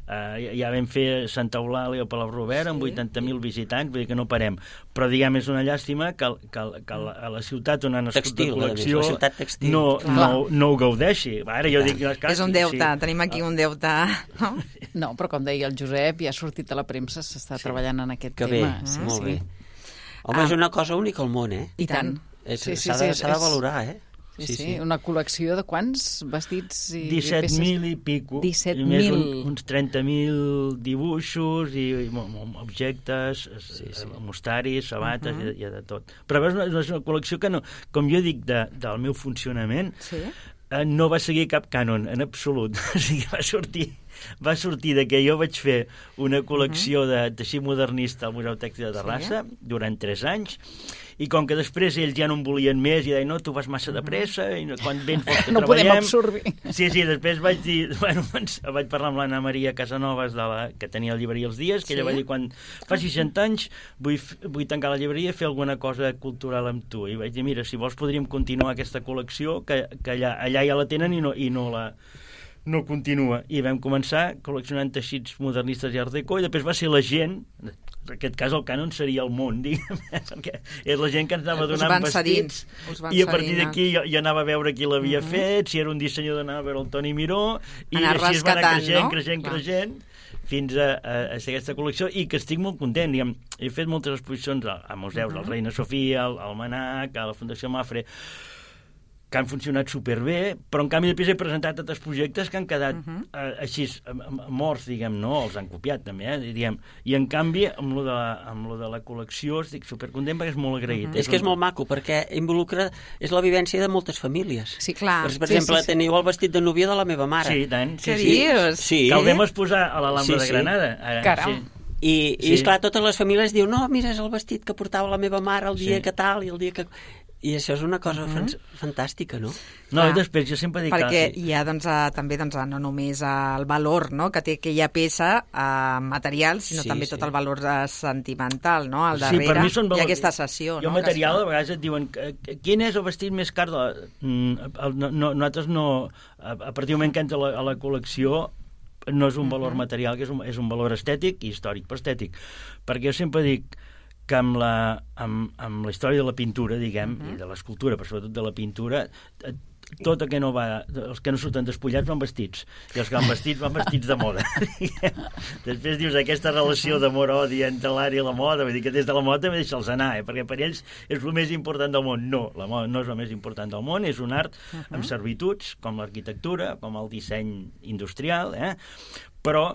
[SPEAKER 5] ja vam fer Santa Eulàlia o Palau Robert amb 80.000 visitants, vull dir que no parem. Però, diguem, és una llàstima que a la ciutat on ha nascut la col·lecció no ho gaudeixi. Ara jo dic...
[SPEAKER 2] És un deute, tenim aquí un deute...
[SPEAKER 6] No, però com deia el Josep, ja ha sortit a la premsa, s'està treballant en aquest tema.
[SPEAKER 4] Sí, molt bé. Home, és una cosa única al món,
[SPEAKER 6] I tant.
[SPEAKER 4] S'ha de valorar,
[SPEAKER 6] Sí, una col·lecció de quants vestits i
[SPEAKER 5] 17.000 i pico.
[SPEAKER 6] 17.000.
[SPEAKER 5] Uns 30.000 dibuixos i objectes, mostaris, sabates, i de tot. Però és una col·lecció que, com jo dic, del meu funcionament, no va seguir cap cànon, en absolut. O sigui, va sortir de que jo vaig fer una col·lecció de teixit modernista al Museu Tèxtil de Terrassa durant 3 anys, i com que després ells ja no en volien més i deien, no, tu vas massa de pressa i quan vens vols que
[SPEAKER 6] no
[SPEAKER 5] treballem.
[SPEAKER 6] Podem absorbir.
[SPEAKER 5] Sí, després vaig dir, vaig parlar amb l'Anna Maria Casanovas, que tenia la llibreria Els Dies, que ella va dir, quan faci 60 anys vull tancar la llibreria i fer alguna cosa cultural amb tu. I vaig dir, mira, si vols podríem continuar aquesta col·lecció, que allà ja la tenen i no continua. I vam començar col·leccionant teixits modernistes i art déco, i després va ser la gent, en aquest cas el cànon seria el món, diguem, perquè és la gent que ens anava donant vestits, i a partir d'aquí jo anava a veure qui l'havia fet, si era un dissenyador anava a veure el Toni Miró, i així es va anar creixent, fins a ser aquesta col·lecció, i que estic molt content. Diguem, he fet moltes exposicions a museus, al Reina Sofia, al Manac, a la Fundació Mafre, que han funcionat superbé, però en canvi després he presentat altres projectes que han quedat així morts, diguem, no? Els han copiat també, diguem. I en canvi, amb lo de la col·lecció estic supercontent perquè és molt agraït.
[SPEAKER 4] És que és molt maco, perquè involucra... És la vivència de moltes famílies.
[SPEAKER 2] Sí, clar.
[SPEAKER 4] Per exemple, teniu el vestit de núvia de la meva mare.
[SPEAKER 5] Sí, tant.
[SPEAKER 2] Què dius?
[SPEAKER 4] Sí.
[SPEAKER 5] Que el vam exposar a l'Alhambra de Granada.
[SPEAKER 6] Caram.
[SPEAKER 4] I esclar, totes les famílies diuen, no, mira, és el vestit que portava la meva mare el dia que tal i el dia que... I això és una cosa fantàstica, no?
[SPEAKER 5] No, i després jo sempre dic
[SPEAKER 2] perquè hi ha també no només el valor que té aquella peça material, sinó també tot el valor sentimental, no? Al darrere hi ha aquesta sessió.
[SPEAKER 5] Jo material, a vegades et diuen quin és el vestit més car? Nosaltres no... A partir del moment que entra a la col·lecció no és un valor material, que és un valor estètic i històric, però estètic. Perquè jo sempre dic que amb la història de la pintura, diguem, i de l'escultura, però sobretot de la pintura, tot el que no va... Els que no surten despullats van vestits, i els que van vestits de moda. Després dius aquesta relació d'amor-odi entre l'art i la moda, vull dir que des de la moda també deixa'ls anar, perquè per ells és el més important del món. No, la moda no és el més important del món, és un art amb servituds, com l'arquitectura, com el disseny industrial, però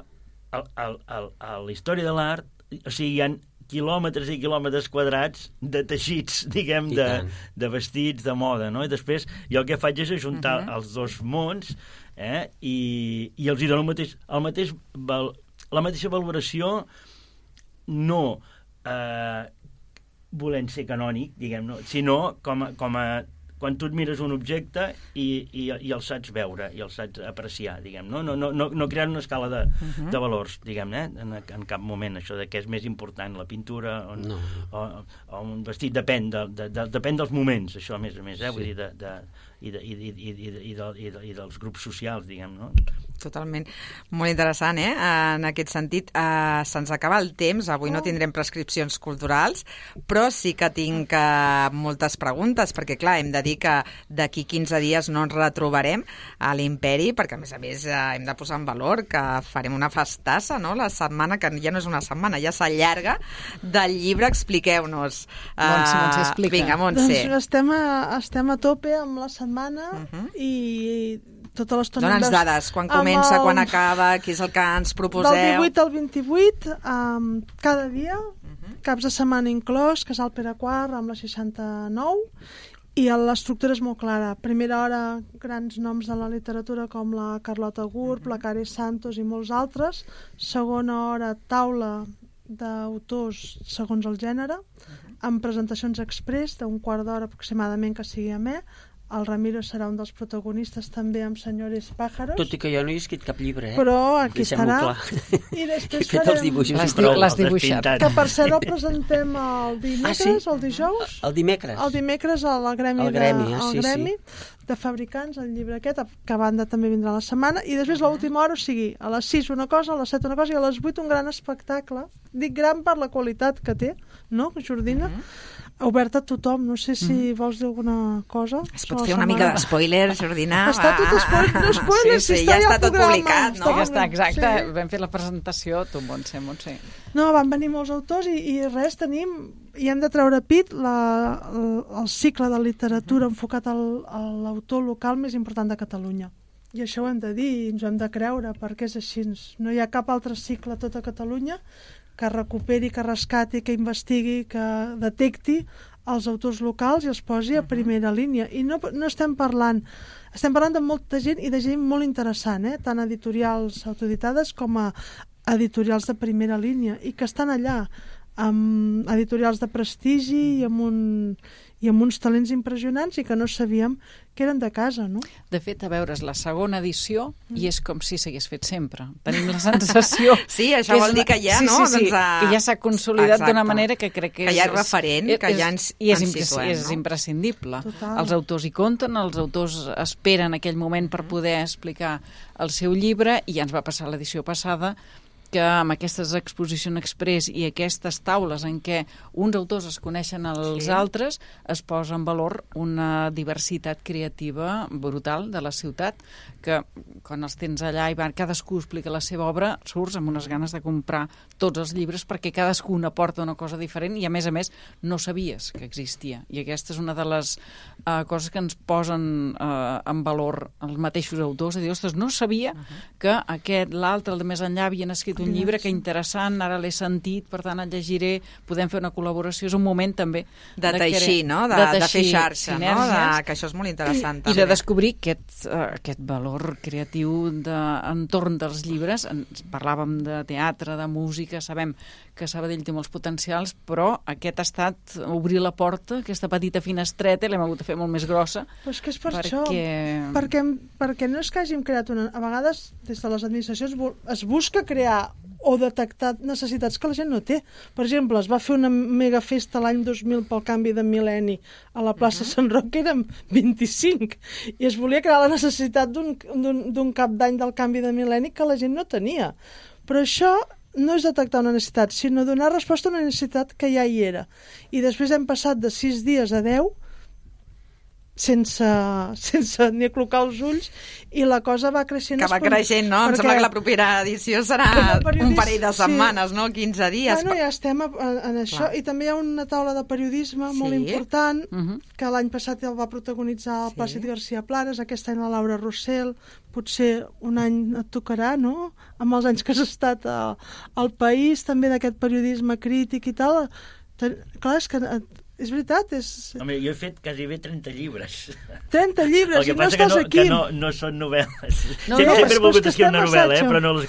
[SPEAKER 5] a la història de l'art, o sigui, hi ha quilòmetres i quilòmetres quadrats de teixits, diguem, de vestits, de moda, no? I després jo el que faig és ajuntar els dos mons i els hi dono la mateixa valoració, no volent ser canònic, diguem, no? Sinó com a quan tu et mires un objecte i el saps veure, i el saps apreciar, diguem, no crear una escala de valors, diguem, en cap moment, això de què és més important, la pintura o un vestit, depèn dels moments, això a més, vull dir, i dels grups socials, diguem, no?
[SPEAKER 2] Totalment. Molt interessant, en aquest sentit. Se'ns acaba el temps, avui no tindrem prescripcions culturals, però sí que tinc moltes preguntes, perquè, clar, hem de dir que d'aquí 15 dies no ens retrobarem a l'Imperi, perquè, a més, hem de posar en valor que farem una festassa, no?, la setmana, que ja no és una setmana, ja s'allarga, del llibre. Expliqueu-nos.
[SPEAKER 6] Montse, explica.
[SPEAKER 2] Vinga, Montse.
[SPEAKER 3] Doncs estem a tope amb la setmana i tota l'estona...
[SPEAKER 2] Dona'ns dades, quan comença, quan acaba, què és el que ens proposeu?
[SPEAKER 3] Del 18 al 28, cada dia, caps de setmana inclòs, Casal Pere IV amb la 69, i l'estructura és molt clara. Primera hora, grans noms de la literatura com la Carlota Gurb, la Cari Santos i molts altres. Segona hora, taula d'autors segons el gènere, amb presentacions express d'un quart d'hora aproximadament que sigui amè. el Ramiro serà un dels protagonistes també amb Senyores Pájaros.
[SPEAKER 4] Tot i que jo no he escrit cap llibre,
[SPEAKER 3] Però aquí
[SPEAKER 4] Deixem-ho
[SPEAKER 3] estarà.
[SPEAKER 4] clar.
[SPEAKER 3] I després
[SPEAKER 4] He fet els dibuixos i prou.
[SPEAKER 6] L'has dibuixat.
[SPEAKER 3] Que per cert el presentem el dimecres o el dijous.
[SPEAKER 4] El dimecres.
[SPEAKER 3] El dimecres al Gremi,
[SPEAKER 4] sí.
[SPEAKER 3] De fabricants, el llibre aquest, que a banda també vindrà la setmana, i després l'última hora, o sigui, a les 6 una cosa, a les 7 una cosa, i a les 8 un gran espectacle. Dic gran per la qualitat que té, no, Jordina? Obert a tothom, no sé si vols dir alguna cosa.
[SPEAKER 2] Es pot fer una mica d'espoiler, Jordina?
[SPEAKER 3] Està tot spoiler,
[SPEAKER 2] sí, ja està tot publicat, no?
[SPEAKER 6] Ja està, exacte, vam fer la presentació, tu, Montse.
[SPEAKER 3] No, van venir molts autors i res, i hem de treure pit el cicle de literatura enfocat a l'autor local més important de Catalunya. I això ho hem de dir i ens ho hem de creure, perquè és així. No hi ha cap altre cicle a tota Catalunya que recuperi, que rescati, que investigui, que detecti els autors locals i els posi a primera línia. I no estem parlant de molta gent i de gent molt interessant, tant editorials autoeditades com a editorials de primera línia, i que estan allà amb editorials de prestigi i amb uns talents impressionants i que no sabíem que eren de casa, no?
[SPEAKER 6] De fet, a veure, és la segona edició i és com si s'hagués fet sempre. Tenim la sensació...
[SPEAKER 2] Sí, això vol dir que ja, no?
[SPEAKER 6] Sí, que ja s'ha consolidat d'una manera que crec que
[SPEAKER 2] ja és referent, que ja ens situem.
[SPEAKER 6] És imprescindible.
[SPEAKER 3] Total.
[SPEAKER 6] Els autors hi compten, els autors esperen aquell moment per poder explicar el seu llibre, i ja ens va passar l'edició passada que amb aquestes exposicions express i aquestes taules en què uns autors es coneixen als altres, es posa en valor una diversitat creativa brutal de la ciutat, que quan els tens allà i cadascú explica la seva obra, surts amb unes ganes de comprar tots els llibres perquè cadascú aporta una cosa diferent i, a més, no sabies que existia. I aquesta és una de les coses que ens posen en valor els mateixos autors, de dir, ostres, no sabia que l'altre, el de més enllà, havien escrit un llibre, que interessant, ara l'he sentit, per tant el llegiré, podem fer una col·laboració, és un moment també
[SPEAKER 2] de teixir, no? De fer xarxa, no? Que això és molt interessant també.
[SPEAKER 6] I de descobrir aquest valor creatiu entorn dels llibres. Parlàvem de teatre, de música, sabem que Sabadell té molts potencials, però aquest ha estat obrir la porta, aquesta petita finestreta, l'hem hagut de fer molt més grossa.
[SPEAKER 3] Però és que és per això, perquè no és que hàgim creat a vegades, des de les administracions, es busca crear o detectar necessitats que la gent no té. Per exemple, es va fer una megafesta l'any 2000 pel canvi de mil·lenni a la plaça Sant Roc, que érem 25, i es volia crear la necessitat d'un cap d'any del canvi de mil·lenni que la gent no tenia. Però això no és detectar una necessitat, sinó donar resposta a una necessitat que ja hi era. I després hem passat de 6 dies a 10 sense ni aclocar els ulls, i la cosa va creixent.
[SPEAKER 2] Que va creixent, no? Em sembla que la propera edició serà un parell de setmanes, no? 15 dies.
[SPEAKER 3] Bueno, ja estem en això. I també hi ha una taula de periodisme molt important, que l'any passat el va protagonitzar el Plàcid García Planes, aquest any la Laura Rossell, potser un any et tocarà, no? Amb els anys que has estat al país, també d'aquest periodisme crític i tal. Clar, és que... És veritat,
[SPEAKER 5] Home, jo he fet quasi bé 30 llibres.
[SPEAKER 3] 30 llibres, i no estàs aquí.
[SPEAKER 5] El que passa que no són novel·les.
[SPEAKER 6] Sempre
[SPEAKER 5] he volgut escriure una novel·la, però no les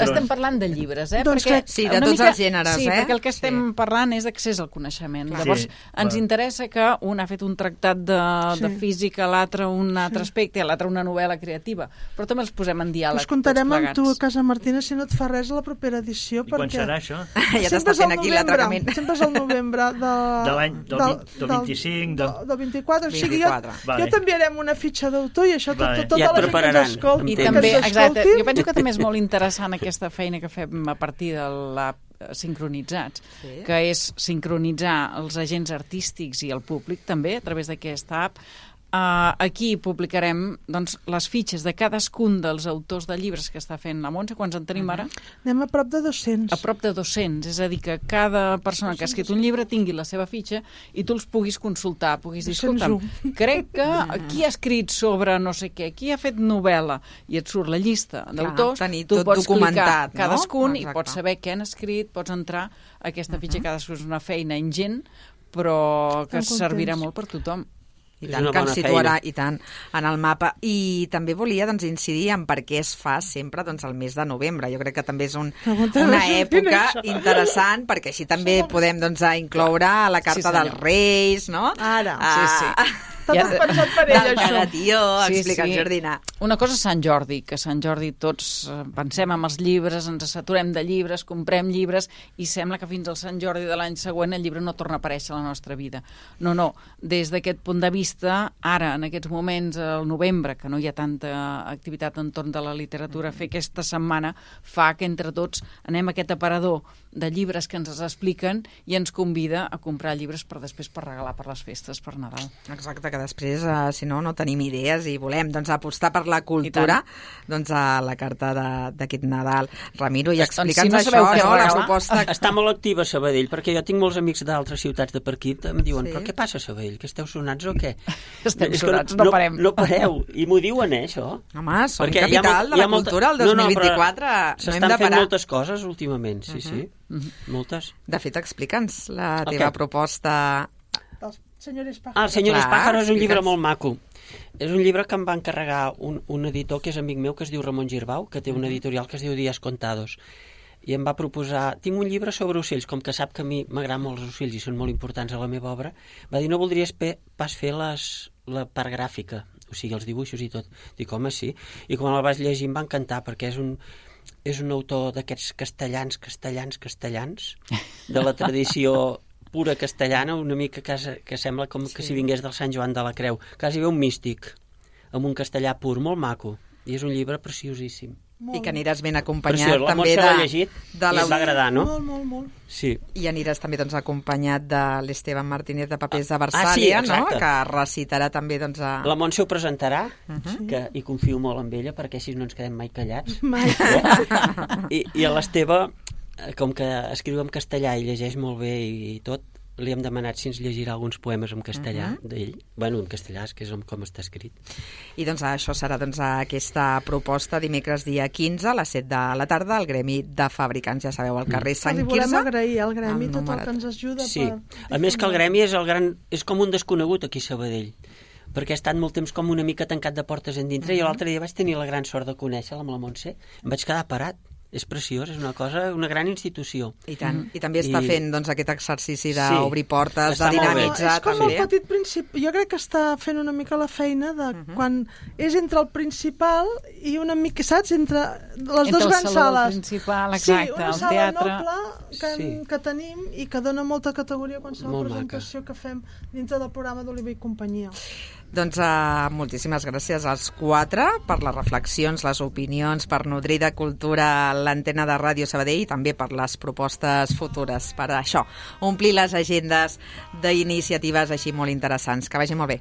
[SPEAKER 6] estem parlant de llibres,
[SPEAKER 2] Sí, de tots els gèneres,
[SPEAKER 6] Sí, perquè el que estem parlant és d'accés al coneixement. Llavors, ens interessa que un ha fet un tractat de física, l'altre un altre aspecte, l'altre una novel·la creativa, però també els posem en diàleg.
[SPEAKER 3] Us comptarem amb tu a casa, Martina, si no et fa res a la propera edició.
[SPEAKER 5] I quan serà això?
[SPEAKER 2] Ja t'està fent aquí l'atracament.
[SPEAKER 3] Sempre és el novembre de l'any
[SPEAKER 5] del 25,
[SPEAKER 3] del 24, o sigui, jo t'enviarem una fitxa d'autor i això tota la gent que ens escolti.
[SPEAKER 6] I també, exacte, jo penso que també és molt interessant aquesta feina que fem a partir de l'app Sincronitzats, que és sincronitzar els agents artístics i el públic també a través d'aquesta app. Aquí publicarem les fitxes de cadascun dels autors de llibres que està fent la Montse. Quants en tenim ara?
[SPEAKER 3] Anem a prop de 200.
[SPEAKER 6] A prop de 200, és a dir, que cada persona que ha escrit un llibre tingui la seva fitxa i tu els puguis consultar, puguis dir, escolta'm, crec que qui ha escrit sobre no sé què, qui ha fet novel·la, i et surt la llista d'autors, tu pots clicar cadascun i pots saber què han escrit, pots entrar a aquesta fitxa. Cadascun és una feina ingent, però que servirà molt per tothom.
[SPEAKER 2] I tant, que ens situarà i tant en el mapa. I també volia incidir en per què es fa sempre el mes de novembre. Jo crec que també és una època interessant, perquè així també podem incloure la carta dels Reis, no?
[SPEAKER 3] Ara,
[SPEAKER 6] sí.
[SPEAKER 3] Està tot pensat per ell,
[SPEAKER 2] Del
[SPEAKER 3] això.
[SPEAKER 2] cagatío, explica el Jordina.
[SPEAKER 6] Una cosa és Sant Jordi, que Sant Jordi tots pensem en els llibres, ens saturem de llibres, comprem llibres i sembla que fins al Sant Jordi de l'any següent el llibre no torna a aparèixer a la nostra vida. No, des d'aquest punt de vista, ara, en aquests moments, al novembre, que no hi ha tanta activitat entorn de la literatura, fer aquesta setmana fa que entre tots anem a aquest aparador de llibres que ens expliquen i ens convida a comprar llibres per després per regalar per les festes, per Nadal.
[SPEAKER 2] Exacte, que després, si no tenim idees i volem apostar per la cultura, doncs a la carta d'aquest Nadal. Ramiro, i explica'ns això, la proposta...
[SPEAKER 4] Està molt activa a Sabadell, perquè jo tinc molts amics d'altres ciutats de per aquí, em diuen, però què passa a Sabadell? Que esteu sonats o què?
[SPEAKER 6] Estem sonats, no parem.
[SPEAKER 4] No pareu, i m'ho diuen, això.
[SPEAKER 2] Home, som capital de la cultura el 2024, no hem de
[SPEAKER 4] s'estan fent
[SPEAKER 2] parar.
[SPEAKER 4] moltes coses últimament, sí. Moltes.
[SPEAKER 2] De fet, explica'ns la teva proposta...
[SPEAKER 3] Els senyores Pájaros.
[SPEAKER 4] Els senyores Pájaros és un llibre
[SPEAKER 2] explica'ns.
[SPEAKER 4] molt maco. És un llibre que em va encarregar un editor que és amic meu, que es diu Ramon Girbau, que té una editorial que es diu Días Contados. I em va proposar... Tinc un llibre sobre ocells, com que sap que a mi m'agraden molt els ocells i són molt importants a la meva obra, va dir, no voldries pas fer la part gràfica, o sigui, els dibuixos i tot. Dic, home, sí. I quan el vaig llegir em va encantar, perquè és un autor d'aquests castellans, de la tradició pura castellana, una mica que sembla com que si vingués del Sant Joan de la Creu. Quasi bé un místic, amb un castellà pur, molt maco. I és un llibre preciosíssim.
[SPEAKER 2] I que aniràs ben acompanyat
[SPEAKER 4] Preciós.
[SPEAKER 2] també
[SPEAKER 4] La Montse l'ha llegit i em va agradar, no?
[SPEAKER 3] Molt.
[SPEAKER 4] Sí.
[SPEAKER 2] I aniràs també acompanyat de l'Esteban Martínez de Papers de Versàlia,
[SPEAKER 4] sí,
[SPEAKER 2] no? Que recitarà també
[SPEAKER 4] La Montse ho presentarà, i confio molt en ella, perquè així no ens quedem mai callats.
[SPEAKER 3] Mai.
[SPEAKER 4] I a l'Esteve, com que escriu en castellà i llegeix molt bé i tot, li hem demanat si ens llegirà alguns poemes en castellà d'ell. Bueno, en castellà, és que és com està escrit.
[SPEAKER 2] I això serà aquesta proposta dimecres dia 15 a les 7 de la tarda al Gremi de Fabricants, ja sabeu, al carrer Sant
[SPEAKER 3] Li
[SPEAKER 2] Quirze.
[SPEAKER 3] volem agrair al Gremi tot el que ens ajuda.
[SPEAKER 4] Sí, a més que el Gremi és com un desconegut aquí a Sabadell, perquè ha estat molt temps com una mica tancat de portes endintre. Jo l'altre dia vaig tenir la gran sort de conèixer-la amb la Montse, em vaig quedar parat. És preciós, és una gran institució.
[SPEAKER 2] I tant. I també està fent aquest exercici d'obrir portes, de dinamitzar.
[SPEAKER 3] És com el petit principi. Jo crec que està fent una mica la feina de quan és entre el principal i una mica, saps? Entre les dues grans sales.
[SPEAKER 6] Principal, exacte,
[SPEAKER 3] una
[SPEAKER 6] el
[SPEAKER 3] sala
[SPEAKER 6] teatre.
[SPEAKER 3] noble que tenim i que dona molta categoria a qualsevol presentació que fem dintre del programa d'Oliver i companyia.
[SPEAKER 2] Doncs moltíssimes gràcies als 4 per les reflexions, les opinions, per nodrir de cultura l'antena de Ràdio Sabadell i també per les propostes futures, per això, omplir les agendes d'iniciatives així molt interessants. Que vagi molt bé.